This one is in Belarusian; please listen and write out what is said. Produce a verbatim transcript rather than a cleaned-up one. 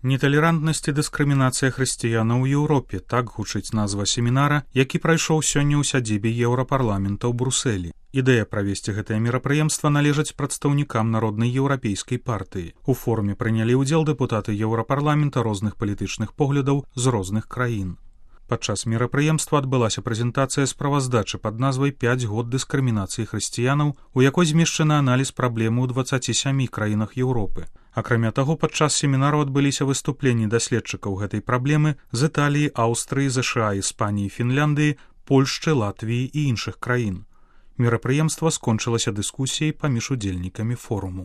Неталерантнасць і дыскрымінацыя хрысціянаў у Еўропе, так гучыць назва семінара, які прайшоў сёння ў сядзібе Еўрапарламента ў Брусэлі. Ідэя правесці гэтае мерапрыемства належыць прадстаўнікам Народнай еўрапейскай партыі. У форуме прынялі ўдзел дэпутаты Еўрапарламента розных палітычных поглядаў з розных краін. Падчас мерапрыемства адбылася прэзентацыя справаздачы пад назвай «пяць год дыскрымінацыі хрысціянаў», у якой змешчаны аналіз праблемы ў дваццаці сямі краінах Еўропы. Акрамя таго, падчас семінару адбыліся выступленні даследчыкаў гэтай праблемы з Італіі, Аўстрыі, ЗША, Іспаніі, Фінляндыі, Польшчы, Латвіі і іншых краін. Мерапрыемства скончылася дыскусіяй паміж удзельнікамі форуму.